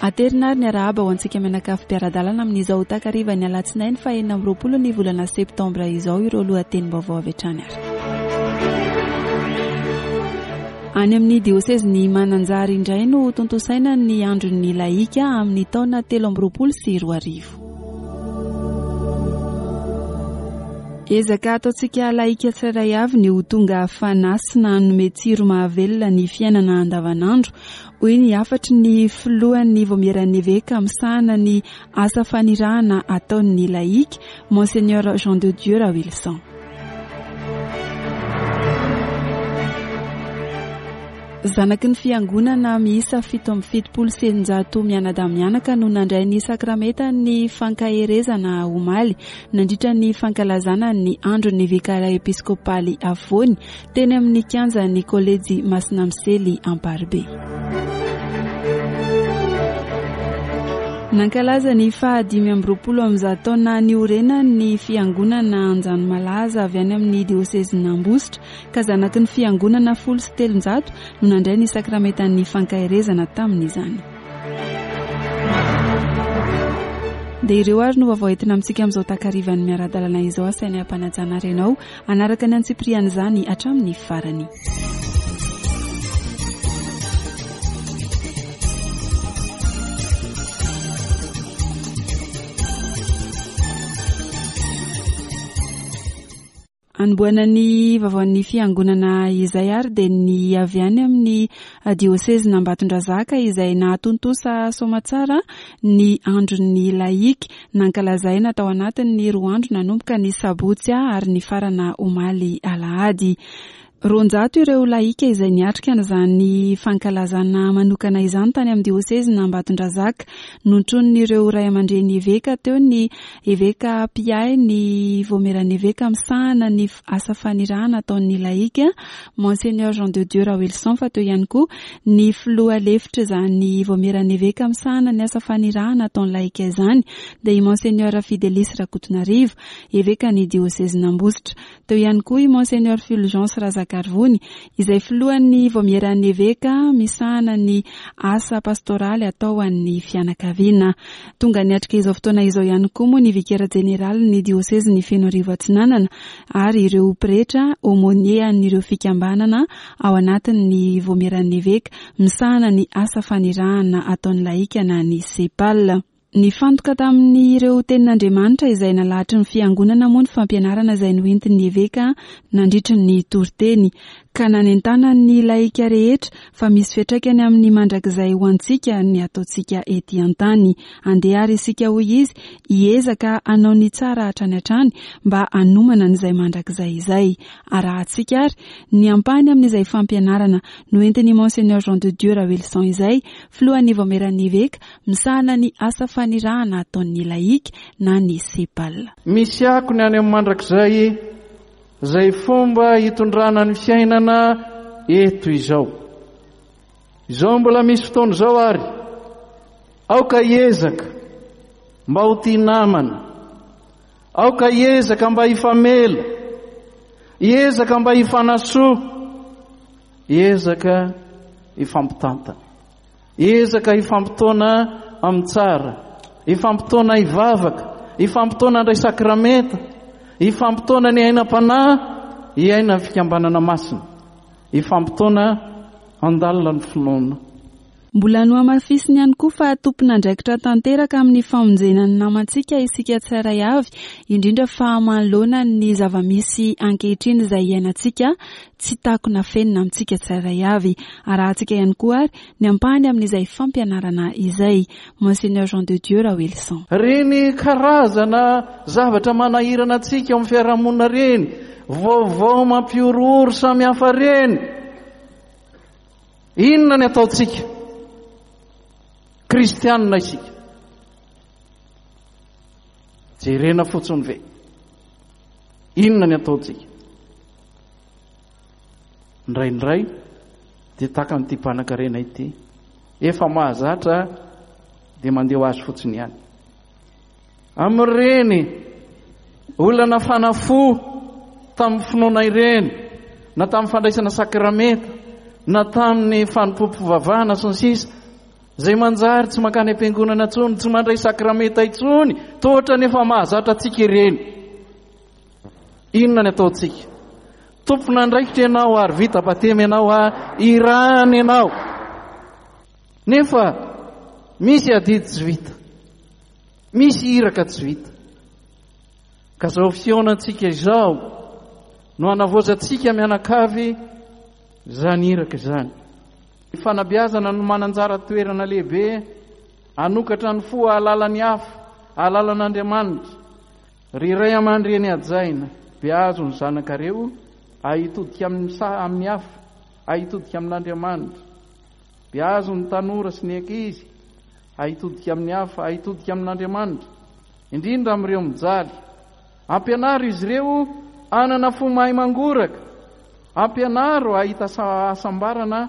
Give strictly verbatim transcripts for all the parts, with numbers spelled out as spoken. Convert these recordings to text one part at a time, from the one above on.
Aterina ary ny arahaba ho antsika mianakavy mpiara-dalana amin'izao takariva ny alatsinainy faha enina amby roapolo ny volana septambra izao ireo lohatenim-baovao avy hatrany ary. Any amin'ny diosezin'ny Mananjary indray no tontosaina ny andron'ny laika amin'ny taona telo amby roapolo sy roa arivo. Ezaka ataontsika laika tsirairay avy ny ho tonga fanasina hanome tsiro mahavelona ny fiainana andavanandro, hoy ny hafatry ny filohan'ny vaomieran'ny eveka misahana ny asa fanirahana ataon'ny laika, Monseigneur Jean de Dieu Rawilson. Zanaky ny fiangonana miisa fito amby fitopolo sy eninjato mianadahy mianaka no nandray ny sakramentan'ny fankaherezana omaly nandritra ny fankalazana ny andron'ny vikara episkopaly afovoany teny amin'ny kianjan'ny kolejy Masina Misely Amparibe. Nankalaza ny fahadimy amby roapolo amby zato taona niorenany ny fiangonana Anjanomalaza avy any amin'ny diosezin'Ambositra ka zanaky ny fiangonana folo sy telonjato no nandray ny sakramentan'ny fankaherezana tamin'izany. Dia ireo ary no vaovao entina amintsika amin'izao takarivan'ny miara-dalana izao, asaina hampanajana ary ianao hanaraka ny antsipirian'izany hatramin'ny farany. Anombohana ny vaovaon'ny fiangonana izay ary dia ny avy any amin'ny diosezin'Ambatondrazaka izay nahatontosa soamatsara ny andron'ny laika nankalazaina tao anatin'ny roa andro nanomboka ny sabotsy ary nifarana omaly alahady. Roanjato ireo laika izay niatrika an'izany fankalazana manokana izany tany amin'ny diosezin'Ambatondrazaka. Notronin'ireo ray aman-dreny eveka teo ny eveka mpiahy ny vaomieran'ny eveka misahana ny asa fanirahana ataon'ny laika, Monseigneur Jean de Dieu Rawilson, fa teo ihany koa ny filoha lefitra izany vaomieran'ny eveka misahana ny asa fanirahana ataon'ny laika izany, dia i Monseigneur Fidelis Rakotonarivo, eveka ny diosezin'Ambositra. Teo ihany koa i Monseigneur Fulgence Razakarivony, izay filohan'ny vaomieran'ny eveka misahana ny asa pastoraly atao an'ny fianakaviana. Tonga niatrika izao fotoana izao ihany koa moa ny vikera jeneraly ny diosezin'ny Fenoarivo Atsinanana ary ireo pretra aumônier an'ireo fikambanana ao anatin'ny vaomieran'ny eveka misahana ny asa fanirahana ataon'ny laika na ny SEPAL. Nifantoka tamin'ireo tenin'Andriamanitra izay nalahatry ny fiangonana moa ny fampianarana izay noentin'ny eveka nandritry ny toriteny, ka nanentana ny laika rehetra fa misy fiantraikany amin'ny mandrakizay ho antsika ny ataontsika ety an-tany. Andeha ary isika, hoy izy, hiezaka hanao ny tsara hatrany hatrany mba hanomana an'izay mandrakizay izay. Arahantsika ary ny ampahany amin'izay fampianarana noentin'i Monseigneur Jean de Dieu Rawilson izay, filohan'ny vaomieran'ny eveka misahana ny asa fanirahana ataon'ny laika na ny SEPAL. Misy akony any amin'ny mandrakizay izay fomba hitondrana ny fiainana eto izao. Izao mbola misy fotoana izao ary aoka hiezaka mba ho tia namana, aoka hiezaka mba hifamela, hiezaka mba hifanasoa, hiezaka hifampitantana, hiezaka hifampitaona amin'ny tsara, hifampitaona hivavaka, hifampitaona handray sakramenta, hifampitaona ny aina-panahy, hiaina ny fikambanana masina, hifampitaona handalina ny finoana. Mbola nohamafisiny ihany koa fa tompon'andraikitra tanteraka amin'ny famonjena ny namantsika isika tsirairay avy, indrindra fa manoloana ny zava-misy ankehitriny izay iainantsika tsy takona fenina amintsika tsirairay avy. Arahantsika ihany koa ary ny ampahany amin'izay fampianarana izay. Monseigneur Jean de Dieu Rawilson. Reny karazana zavatra manahirana antsika ao amin'ny fiarahamonina reny, vaovao mampihorohoro samihafa reny, inona ny ataontsika? Kristianina isika. Jerena fotsiny ve? Inona ny ataontsika? Indraindray dia tahaka an'ity mpanankarena ity, efa mahazatra dia mandeha ho azy fotsiny ihany. Amin'ireny olona nafana fo tamin'ny finoana ireny, na tamin'ny fandraisana sakramenta, na tamin'ny fanompoam-pivavahana sy ny sisa, Izay manjary tsy mankany am-piangonana intsony, tsy mandray sakramenta intsony, toa ohatran'ny efa mahazatra antsika ireny. Inona ny ataontsika? Tompon'andraikitra ianao ary vita batemy ianao, irahana ianao. Nefa misy adidy tsy vita, misy iraka tsy vita. Ka izao fihaonantsika izao no hanavaozantsika mianakavy izany iraka izany. Ny fanabeazana no mananjara toerana lehibe hanokatra ny fo hahalala ny hafa, hahalala an'Andriamanitra. Ry ray aman-dreny hajaina, beazo ny zanakareo hahitodika amin'ny sa amin'ny hafa, hahitodika amin'Andriamanitra. Beazo ny tanora sy ny ankizy hahitodika amin'ny hafa, hahitodika amin'Andriamanitra, indrindra amin'ireo mijaly. Ampianaro izy ireo hanana fo mahay mangoraka. Ampianaro hahita hasambarana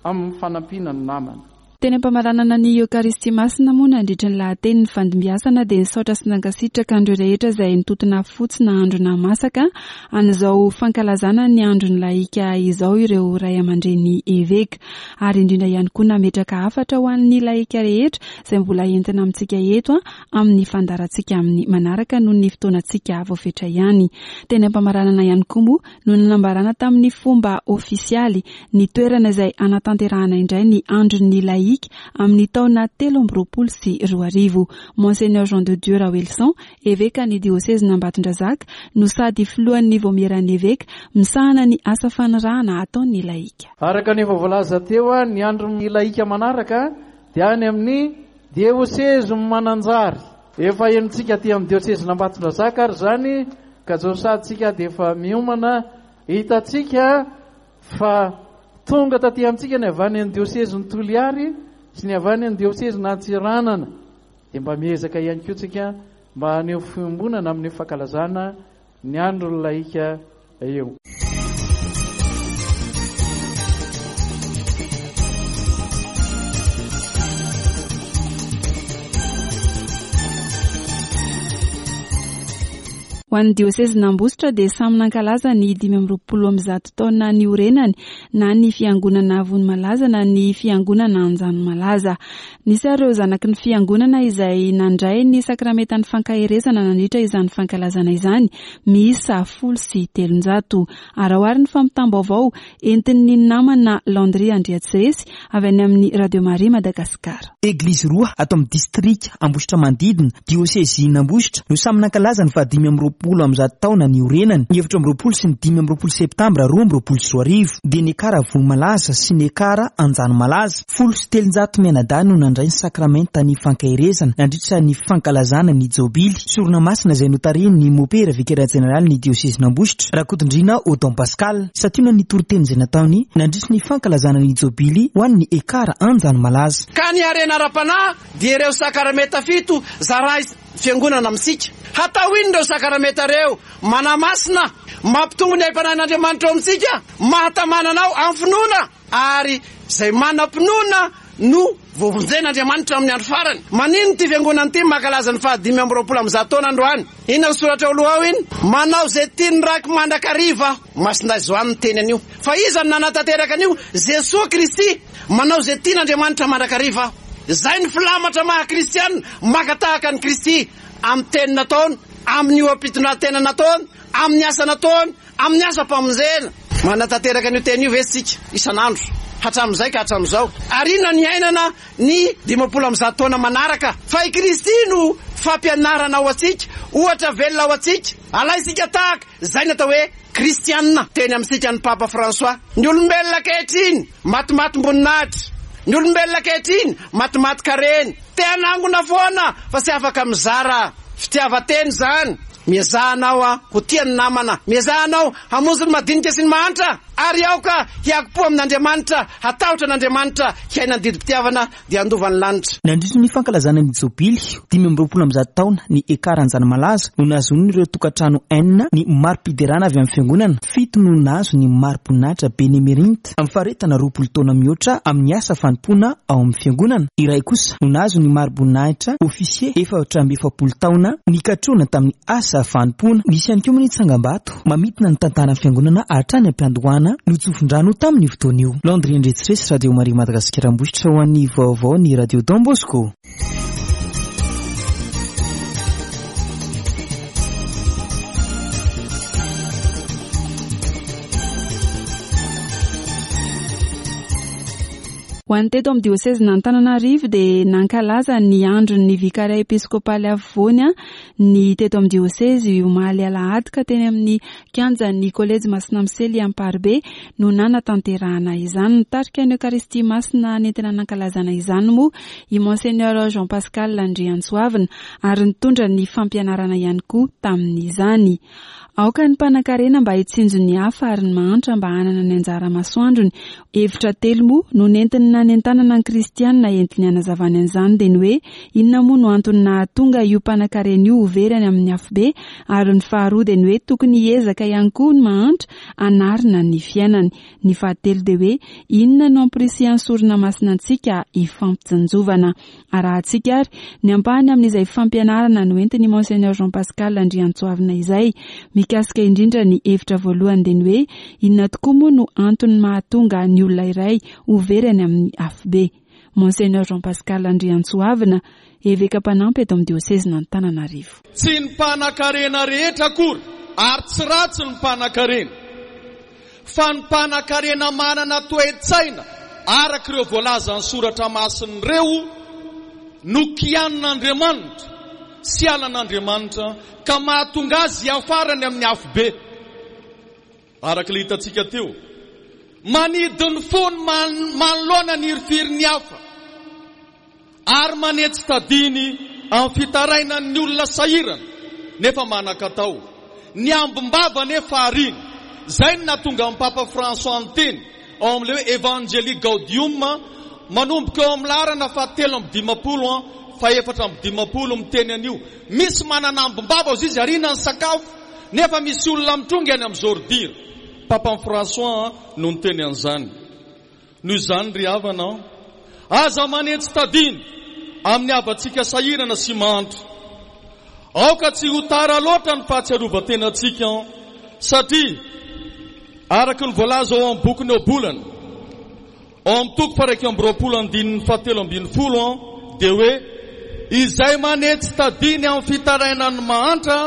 amin'ny fanampiana ny namana. Teny am-pamaranana ny Eokaristia Masina moa nandritra ny lahateny ny fandimbiasana dia nisaotra sy nankasitraka an'ireo rehetra izay nitotona fotsy na andro na masaka an'izao fankalazana ny andron'ny lahika izao ireo ray aman-dreny eveka, ary indrindra ihany koa nametraka hafatra ho an'ny lahika rehetra izay mbola entina amintsika eto amin'ny fandaharantsika amin'ny manaraka noho ny fotoanantsika voafetra ihany. Teny am-pamaranana ihany koa moa no nanambarana tamin'ny fomba ofisialy ny toerana izay hanatanterahana indray ny andron'ny lahika amin'ny taona telo amby roapolo sy roa arivo. Monseigneur Jean de Dieu Raoelison, eveka ny diosezin'Ambatondrazaka, no sady filohan'ny vaomieran'ny eveka misahana ny asa fanirahana ataon'ny lahika. Araka ny efa voalaza teo, ny andron'ny lahika manaraka dia any amin'ny diosezy Mananjary. Efa henontsika aty amin'ny diosezin'Ambatondrazaka ary izany, ka zao satsika dia efa miomana. Hitantsika fa tonga taty amintsika ny avy any amin'ny diosezin'i Toliary sy ny avy any amin'ny diosezin'Antsiranana. Dia mba miezaka ihany koa tsika mba haneho fiombonana amin'ny fankalazana ny andron'ny lahika eo. Ho an'ny diosezin'Ambositra dia samy nankalaza ny dimy amby roapolo amby zato taona niorenany na ny fiangonana Vonimalaza na ny fiangonana Anjanomalaza. Nisy ireo zanaky ny fiangonana izay nandray ny sakramentan'ny fankaherezana nandritra izany fankalazana izany miisa folo sy telonjato. Araho ary ny fampitam-baovao entin'ny namana Landry Andriatsiresy avy any amin'ny Radio Maria Madagasikara. Eglizy roa ato amin'ny distrika Ambositra manodidina, diosezin'Ambositra, no samy nankalaza ny fahadimy amby roapolo amby zato taona niorenany, ny efatra amby roapolo sy ny dimy amby roapolo septambra roa amby roapolo sy roa arivo, dia ny Ekara Vonimalaza sy ny Ekara Anjanomalaza. Folo sy telonjato mianadahy no nandray ny sakramenta ny fankaherezana nandritra ny fankalazana ny jobily sorona masina izay notarihin'ny mopera vikera jeneraly ny diosezin'Ambositra, Rakotondriana Odon Pascal. Santionany ny toriteny izay nataony nandritra ny fankalazana ny jobily ho an'ny Ekara Anjanomalaza. Ka ny harena ara-panahy dia ireo sakramenta fito zarahy fiangonana amintsika. Hatao inona ireo sakramenta ireo? Manamasina, mampitombo ny aim-panahin'Andriamanitra ao amintsika, mahatamana anao amin'ny finoana, ary izay manam-pinoana no voavonjen'Andriamanitra amin'ny andro farany. Manino ity fiangonana ity mankalaza ny fahadimy amby roapolo amby zato taona androany? Inona ny soratra ao aloha ao iny? Manao izay tian'ny Raiko mandrakariva aho. Masindahy Joany niteny an'io. Fa iza no nanatanteraka an'io? Jesoa Kristy. Manao izay tian'Andriamanitra mandrakariva aho. Izay ny filamatra maha kristiana, maka tahaka an'i Kristy amin'ny teny nataony, amin'ny oha-pitondran-tena nataony, amin'ny asa nataony, amin'ny asam-pamonjena. Manatanteraka an'io teny io ve isika isan'andro hatramin'izay ka hatramin'izao? Ary inona ny iainana ny dimampolo amby zato taona manaraka? Fa i Kristy no fampianarana ho antsika, ohatra velona ho antsika. Alaintsika tahaka izay ny atao hoe kristiana. Teny amintsika ny Papa François. Ny olombelona ankehitriny matimatim-boninahitra. Ny olombelona ankehitriny matimatin-karena. Te hanangona foana fa tsy afaka mizara. Fitiavan-tena izany. Miezaha anao ho tia ny namana. Miezaha anao hamonjy ny madinika sy ny mahantra. Ary aoka hiakom-po amin'Andriamanitra, hatahotra an'Andriamanitra, hiaina ny didim-pitiavana dia handova ny lanitra. Nandritra ny fankalazana ny jobily dimy amby roapolo amby zato taona ny Ekara Anjanomalaza no nahazoan'ireo tokantrano enina ny mari-piderana avy amin'ny fiangonana, fito no nahazo ny mari-boninahitra Benemerint amin'ny faharetana roapolo taona mihoatra amin'ny asa fanompoana ao amin'ny fiangonana, iray kosa no nahazo ny mari-boninahitra officier efatra amby efapolo taona nikatrohana tamin'ny asa fanompoana. Nisy ihany koa moa ny tsangambato mamintina ny tantaran'ny fiangonana hatrany am-piandohana Toerana notsofin-drano tamin'io fotoana io. Landry Andriatsiresy, Radio Maria Madagasikara Ambositra ho an'ny vaovao ny Radio Don Bosco. Ho an'ny teto amin'ny diosezin'Antananarivo dia nankalaza ny andron'ny vikaria episkopaly afovoany ny teto amin'ny diosezy omaly alahady ka teny amin'ny kianjan'ny kolejy Masina Misely Amparibe no nanatanterahana izany. Nitarika ny Eokaristia Masina nentina nankalazana izany moa i Monseigneur Jean Pascal Andriantsoavina ary nitondra ny fampianarana ihany koa tamin'izany. Aoka ny mpanankarena mba hitsinjo ny hafa ary ny mahantra mba hanana ny anjara masoandrony. Hevitra telo moa no nentiny nanentanana ny kristianina entiny hanazavana an'izany dia ny hoe inona moa no antony nahatonga io mpanankarena io ho very any amin'ny afobe, ary ny faharoa dia ny hoe tokony hiezaka ihany koa ny mahantra hanarina ny fiainany. Ny fahatelo dia hoe inona no ampirisihan'ny sorona masina antsika hifampitsinjovana. Arahantsika ary ny ampahany amin'izay fampianarana noentin'i Monseigneur Jean Pascal Andriantsoavina izay. Mikasika indrindra ny hevitra voalohany dia ny hoe inona tokoa moa no antony mahatonga ny olona iray ho very any amin'ny afobe. Monseigneur Jean Pascal Andriantsoavina, eveka mpanampy eto amin'ny diosezin'Antananarivo. Tsy ny mpanankarena rehetra akory ary tsy ratsy ny mpanankarena, fa ny mpanankarena manana toe-tsaina araka ireo voalazan'ny soratra masina ireo no kianin'Andriamanitra sy alan'Andriamanitra ka mahatonga azy hiafarany amin'ny afobe. Araka ilay hitantsika teo, manidy ny fony manoloana ny hirifirin'ny hafa ary manetsy tadiny amin'ny fitarainan'ny olona sahirana nefa manan-katao. Ny ambim-bava nefa arina. Izay no nahatonga ny Papa François niteny ao amin'ilay hoe Evangelii Gaudium manomboka eo amin'ny laharana fahatelo amby dimampolo fa efatra amby dimampolo miteny an'io. Misy manana ambim-bava ozy izy arina ny sakafo nefa misy olona mitrongy any amin'ny zordira. Papa François no niteny an'izany. Noho izany ry havana, aza manetsy tadiny amin'ny havantsika sahirana sy mahantra. Aoka tsy ho tara loatra ny fahatsiarovan-tenantsika, satria araka ny voalaza ao amin'ny bokin'ny Ohabolana, ao amin'ny toko faha-iraika amby roapolo andininy fahatelo ambin'ny folo dia hoe izay manetsy tadiny amin'ny fitarainan'ny mahantra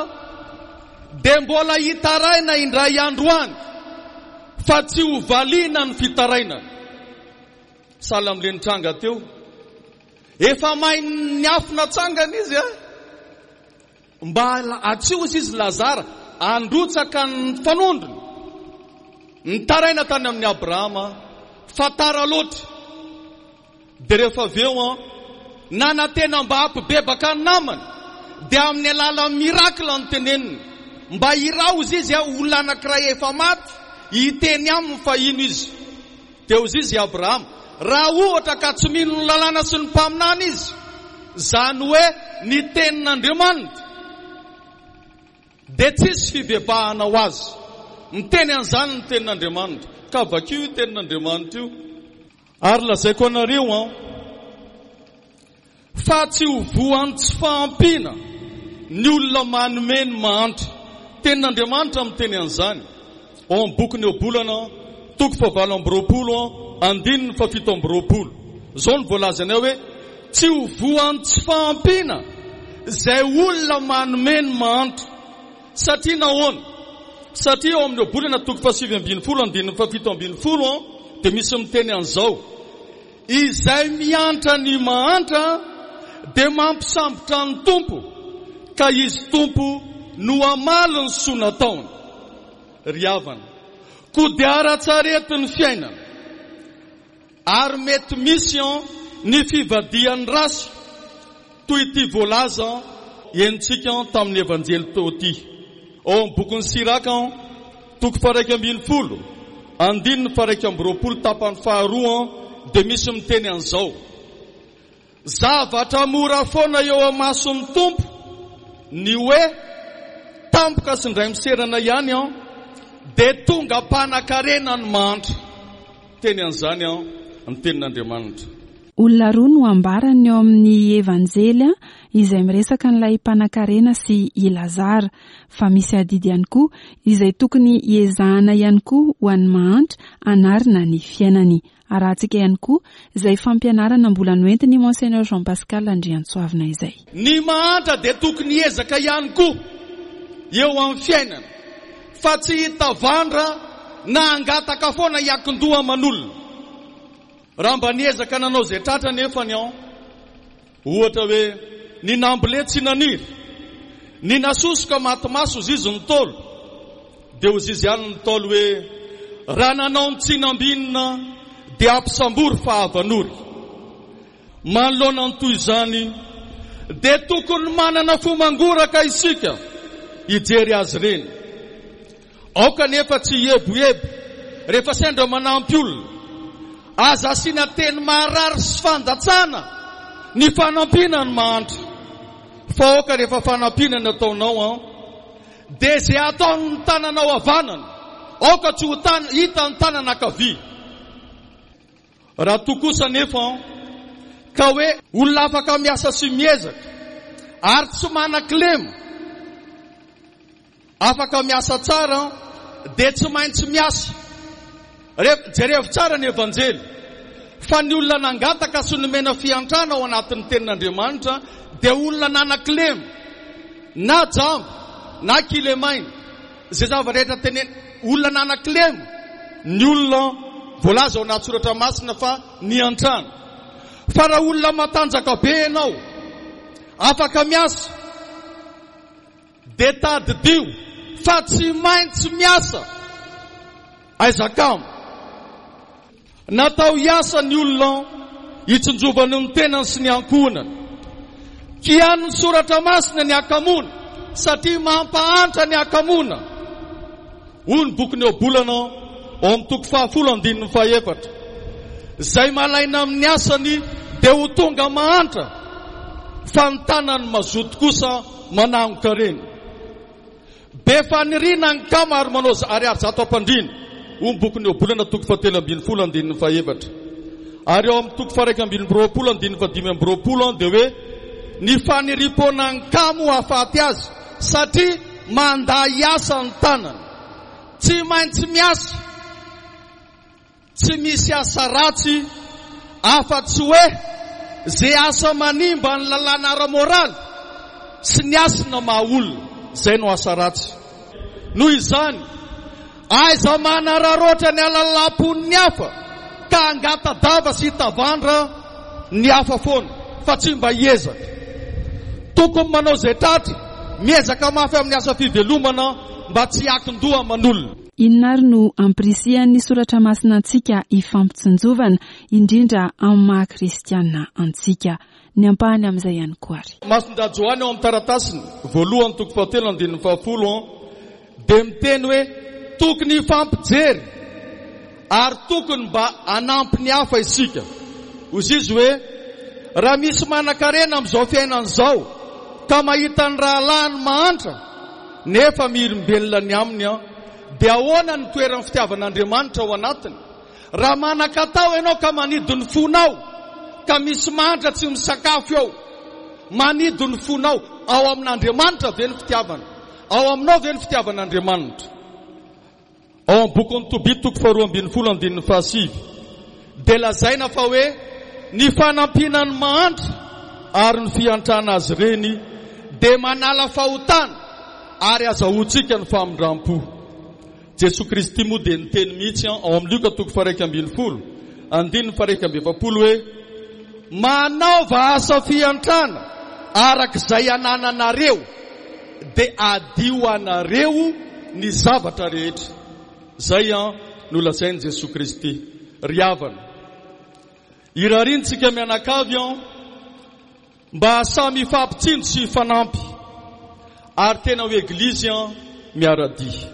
dia mbola hitaraina indray androany fa tsy ho valiana ny fitarainana. Sahala amin'ilay nitranga teo, efa main'ny afo natsangana izy a, mba atsio izy izy Lazara androtsaka ny fanondrony. Nitaraina tany amin'ny Abrahama fa tara loatra. Dia rehefa avy eo nanantena mba hampibebaka ny namany dia amin'ny alalan'ny miracle no teneniny mba hiraozy izy a, olona anankiray efa maty hiteny aminy fa ino izy. Dia hoy izy Abrahama, raha ohatra ka tsy mino ny lalàna sy ny mpaminany izy, izany hoe ny tenin'Andriamanitra, dia tsisy fibebahana ho azy. Miteny an'izany ny tenin'Andriamanitra. Ka vakio io tenin'Andriamanitra io. Ary lazaiko anareo an, fa tsy ho voan'ny tsy fahampiana ny olona manome ny mahantra. Tenin'Andriamanitra miteny an'izany ao amin'ny bokin'ny Ohabolana toko fahavalo amby roapolo andininy fahafito amby roapolo. Izao no voalazany ao hoe tsy ho voan'ny tsy fahampiana izay olona manome ny mahantra. Satria nahoana? Satria ao amin'ny Ohabolana toko fahasivy ambin'ny folo andininy fahafito ambin'ny folo dia misy miteny an'izao: izay miantra ny mahantra dia mampisambotra ny Tompo, ka izy Tompo no hamaly ny soa nataony. Ry havana, koa dia ara-tsarety ny fiainana, ary mety misy ny fivadihan'ny rasy toy ity voalaza henontsika tamin'ny Evanjely teo ity. Ao amin'ny bokin'ny Siraka toko faha-iraika ambin'ny folo andininy faha-iraika amby roapolo tapany faharoa dia misy miteny an'izao: zavatra mora foana eo amason'ny Tompo ny hoe tampoka sy indray miserana ihany an, dia tonga mpanankarena ny mahantra. Teny an'izany an, ny tenin'Andriamanitra. Olona roa no ambarany eo amin'ny Evanjely izay miresaka an'ilay mpanankarena sy i Lazara, fa misy adidy ihany koa izay tokony hiezahana ihany koa ho an'ny mahantra hanarina ny fiainany. Arahantsika ihany koa izay fampianarana mbola noentin'i Monseigneur Jean Pascal Andriantsoavina izay. Ny mahantra dia tokony hiezaka ihany koa eo amin'ny fiainana, fa tsy hitavandra na hangataka foana hiankin-doha aman'olona. Raha mba niezaka nanao izay tratra anefa ny ao, ohatra hoe ny nambole tsy naniry, ny nasosoka maty maso hozy izy ny Ntaolo, dia hozy izy ihany ny Ntaolo hoe raha nanao ny tsy nambinina dia ampisambory fa havanory. Manoloana ny toy izany dia tokony manana fo mangoraka isika hijery azy ireny. Aoka anefa tsy hieboebo rehefa sendra manampy olona. Aza asiana teny maharary sy fandatsana ny fanampiana ny mahantra. Fa aoka rehefa fanampiana ny ataonao an, dia izay ataon'ny tananao havanana, aoka tsy ho tan-, hitan'ny tanana ankavia. Raha toa kosa anefa an, ka hoe olona afaka miasa sy miezaka ary tsy manan-kilema, afaka miasa tsara dia tsy maintsy miasa. Re-, jerevo tsara ny Evanjely fa ny olona nangataka sy nomena fiantrana ao anatin'ny tenin'Andriamanitra dia olona nanan-kilema, na jamba na kilemaina, izay zavatra rehetra tenena, olona nanan-kilema ny olona voalaza ao anaty soratra masina fa niantrana. Fa raha olona matanjaka be ianao, afaka miasa, dia tadidio fa tsy maintsy miasa. Aiza kamo? Natao hiasa ny olona hitsinjovany ny tenany sy ny ankohonany. Kian'ny soratra masina ny hakamoana, satria mampahantra ny hakamoana. Hoy ny bokin'ny Ohabolana ao amin'ny toko fahafolo andininy fahefatra. Izay malaina amin'ny asany dia ho tonga mahantra, fa ny tanany mazoto kosa manangon-karena. Be faniriana ny kamo ary manao ariary zato am-pandriana. Hoy ny bokin'ny Ohabolana toko fahatelo ambin'ny folo andininy fahefatra. Ary ao amin'ny toko faha-iraika ambin'ny roapolo andininy fahadimy amby roapolo dia hoe ny faniriam-poana ny kamo hahafaty azy satria mandà hiasa ny tanany. Tsy maintsy miasa. Tsy misy asa ratsy afa-tsy hoe izay asa manimba ny lalàna ara-moraly sy ny hasina maha olona, izay no asa ratsy. Noho izany, aiza manararaotra ny halalam-pon'ny hafa ka hangata-dava sy hitavandra ny hafa foana fa tsy mba hiezaka. Tokony manao izay tratra, miezaka mafy amin'ny asa fivelomana mba tsy hiankin-doha aman'olona. Inona ary no ampirisihan'ny soratra masina antsika hifampitsinjovana, indrindra amin'ny maha kristiana antsika? Ny ampahany amin'izay ihany koa ary. Masindahy Joany ao amin'ny taratasiny voalohany toko fahatelo andininy fahafolo dia miteny hoe tokony hifampijery ary tokony mba hanampy ny hafa isika. Hoy izy hoe raha misy manan-karena amin'izao fiainana izao ka mahita ny rahalahiny mahantra nefa mihirim-belona ny aminy an, dia ahoana ny toeran'ny fitiavan'Andriamanitra ao anatiny? Raha manan-katao ianao ka manidy ny fonao, ka misy mahantra tsy misakafo eo, manidy ny fonao, ao amin'Andriamanitra ve ny fitiavana? Ao aminao ve ny fitiavan'Andriamanitra? Ao amin'ny bokin'ny Tobia toko faharoa ambin'ny folo andininy fahasivy dia lazaina fa hoe ny fanampiana ny mahantra ary ny fiantrana azy ireny dia manala fahotana ary azahoantsika ny famindram-po. Jesoa Kristy moa dia niteny mihitsy ao amin'ny Lioka toko faha-iraika ambin'ny folo andininy faha-iraika amby efapolo hoe manaova asa fiantrana araka izay anananareo dia adio anareo ny zavatra rehetra. Izay an no lazain'i Jesoa Kristy. Ry havana, irariantsika mianakavy an mba samy hifampitsinjo sy hifanampy ary tena ho eglizy an miara-dia.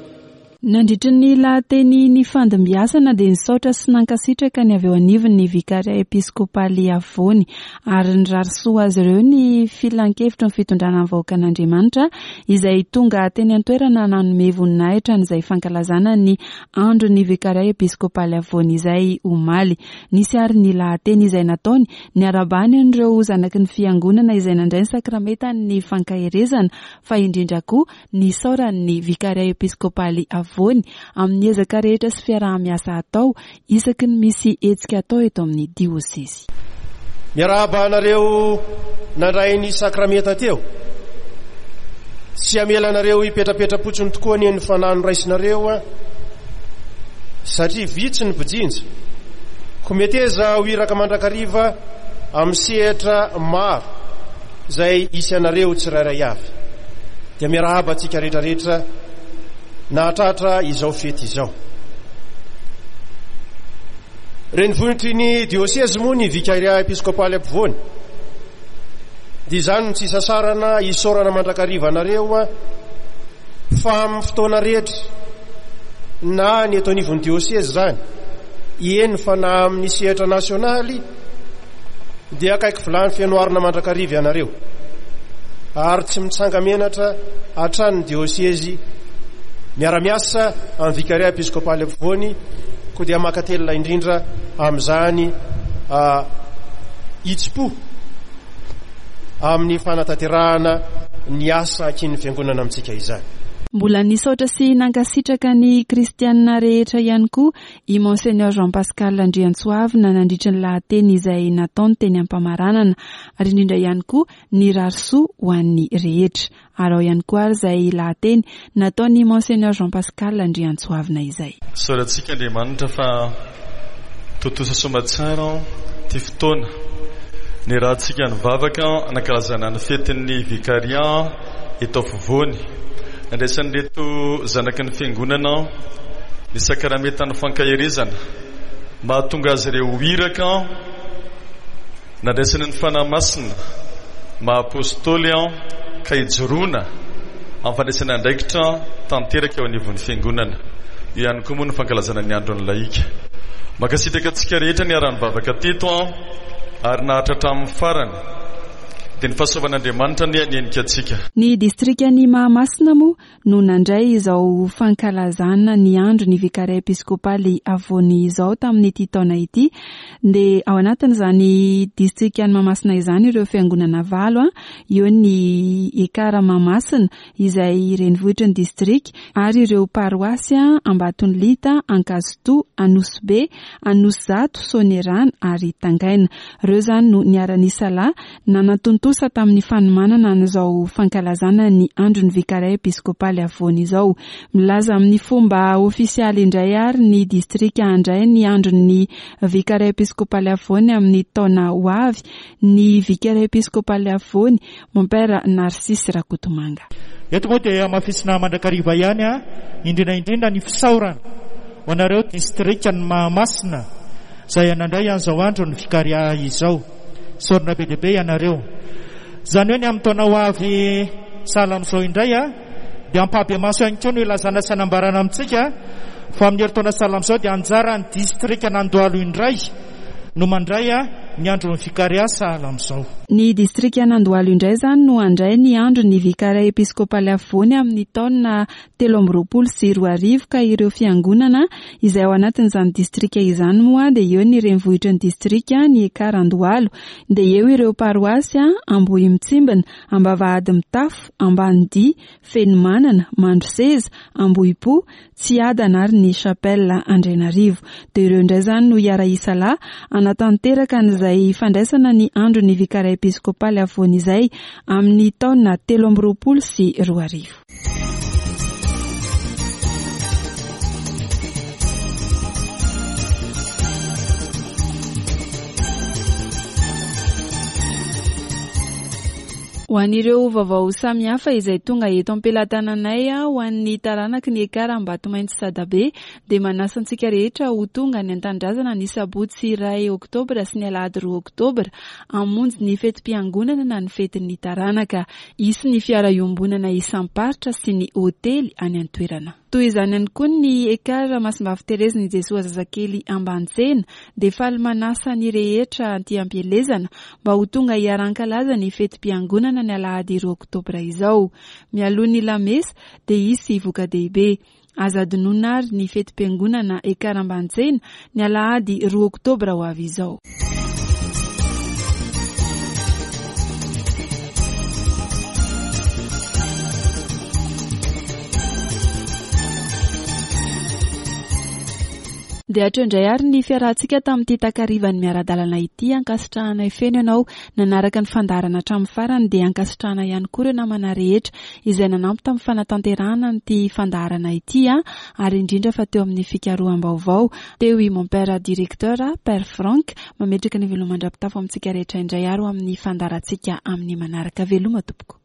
Nandritra ny lahateny nifandimbiasana dia nisaotra sy nankasitraka ny avy eo anivon'ny Vikaria Episkopaly Afovoany ary nirary soa azy ireo ny filankevitry ny fitondrana ny vahoakan'Andriamanitra izay tonga teny an-toerana nanome voninahitra an'izay fankalazana ny andron'ny Vikaria Episkopaly Afovoany izay omaly. Nisy ary ny lahateny izay nataony niarabany an'ireo zanaky ny fiangonana izay nandray ny sakramentan'ny fankaherezana, fa indrindra koa nisaoran'ny Vikaria Episkopaly Afovoany amin'ny ezaka rehetra sy fiaraha-miasa atao isaky ny misy hetsika atao eto amin'ny diosezy. Miarahaba anareo nandray ny sakramenta teo. Tsy hamela anareo hipetrapetra-potsiny tokoa anie ny fanahy noraisinareo a, satria vitsy ny mpijinja. Koa meteza ho iraka mandrakariva amin'ny sehatra maro izay hisy anareo tsirairay avy. Dia miarahaba antsika rehetrarehetra nahatratra izao fety izao. Renivohitry ny diosezy moa ny Vikaria Episkopaly Afovoany. Dia izany no tsy isasarana isaorana mandrakariva anareo a, fa amin'ny fotoana rehetra na ny eto anivon'ny diosezy izany, eny fa na amin'ny sehatra nasionaly, dia akaiky vilany fenoarina mandrakariva ianareo. Ary tsy mitsanga-menatra hatrany ny diosezy miara-miasa amin'ny Vikaria Episkopaly Afovoany, koa dia mankatelina indrindra amin'izany hitsim-po amin'ny fanatanterahana ny asa ankinin'ny fiangonana amintsika izany. Mbola nisaotra sy nankasitraka ny kristianina rehetra ihany koa i Monseigneur Jean Pascal Andriantsoavina nandritra ny lahateny izay nataony teny am-pamaranana, ary indrindra ihany koa nirary soa ho an'ny rehetra. Ary ao ihany koa ary izay lahateny nataony Monseigneur Jean Pascal Andriantsoavina izay. Isaorantsika Andriamanitra fa tontosa soamantsara ty fotoana niarahantsika nivavaka nankalazana ny fetin'ny Vikaria eto afovoany. Nandraisan'ireto zanaky ny fiangonana ny sakramentan'ny fankaherezana mahatonga azy ireo ho iraka, nandraisany ny Fanahy Masina maha apôstôly ka hijoroana amin'ny fandraisana andraikitra tanteraka eo anivon'ny fiangonana. Eo ihany koa moa ny fankalazana ny andron'ny lahika. Mankasitraka antsika rehetra niara-nivavaka teto ary naharitra hatramin'ny farany. Dia ny fahasoavan'Andriamanitra anie hanenika antsika. Ny distrikan'i Mahamasina moa no nandray izao fankalazana ny andron'ny Vikaria Episkopaly Afovoany izao tamin'ity taona ity. Dia ao anatin'izany distrikan'i Mahamasina izany ireo fiangonana valo, a, eo ny Ekara Mahamasina izay renivohitry ny distrika, ary ireo paroasy Ambatonilita, Ankazotoa, Anosibe, Anosizato, Soanierana ary Tangaina. Ireo izany no niara-nisalahy nanatontosa tamin'ny fanomanana an'izao fankalazana ny andron'ny Vikaria Episkopaly Afovoany izao. Milaza amin'ny fomba ofisialy indray ary ny distrika handray ny andron'ny Vikaria Episkopaly Afovoany amin'ny taona ho avy ny Vikaria Episkopaly Afovoany, Mompera Narcisse Rakotomanga. Eto moa dia hamafisina mandrakariva ihany a, indrindra indrindra ny fisaorana ho anareo distrikan'i Mahamasina izay nandray an'izao andro ny Vikaria izao. Isaorana be dia be ianareo. Izany hoe ny amin'ny taona ho avy sahala amin'izao indray a, dia ampahibemaso ihany koa no ilazana sy anambarana amintsika fa amin'ny herintaona sahala amin'izao dia anjaran'ny distrikan'Andohalo indray no mandray ny andron'ny Vikaria sahala amin'izao. Ny distrikan'Andohalo indray izany no handray ny andron'ny Vikaria Episkopaly Afovoany amin'ny taona telo amby roapolo sy roa arivo, ka ireo fiangonana izay ao anatin'izany distrika izany moa dia eo ny renivohitry ny distrika, ny Ekara Andohalo, dia eo ireo paroasy Ambohimitsimbina, Ambavahady Mitafo, Ambanidia, Fenomanana, Mandroseza, Ambohipo, Tsiadana ary ny Chapelle Andrianarivo. Dia ireo indray izany no hiara-hisalahy hanatanteraka an'izay fandraisana ny andron'ny Vikaria Episkopaly Afovoany izay amin'ny taona telo amby roapolo sy roa arivo. Ho an'ireo vaovao samihafa izay tonga eto am-pelatananay, ho an'ny taranaky ny Ekara Ambatomainty Sadabe, dia manasa antsika rehetra ho tonga any an-tanindrazana ny sabotsy iray oktobra sy ny alahady roa oktobra hamonjy ny fetim-piangonana na ny fetin'ny taranaka. Hisy ny fiara iombonana isam-paritra sy ny hotely any an-toerana. Toy izany ihany koa ny Ekar Masimbavy Terezin'i Jesoa Zazakely Ambanitsena dia faly manasa ny rehetra aty am-pielezana mba ho tonga hiara-hankalaza ny fetim-piangonana ny alahady roa oktobra izao. Mialoha ny lamesa dia hisy voka-dehibe. Aza adinoina ary ny fetim-piangonana Ekar Ambanitsena ny alahady roa oktobra ho avy izao. Dia hatreo indray ary ny fiarahantsika tamin'ity takarivan'ny miara-dalana ity. Ankasitrahanay feno ianao nanaraka ny fandaharana hatramin'ny farany, dia ankasitrahana ihany koa ireo namana rehetra izay nanampy tamin'ny fanatanterahana an'ity fandaharana ity, ary indrindra fa teo amin'ny fikaroham-baovao teo i mon père directeur Père Franck. Mametraka ny veloma mandra-pitafo amintsika rehetra indray ary ho amin'ny fandaharantsika amin'ny manaraka. Veloma tompoko.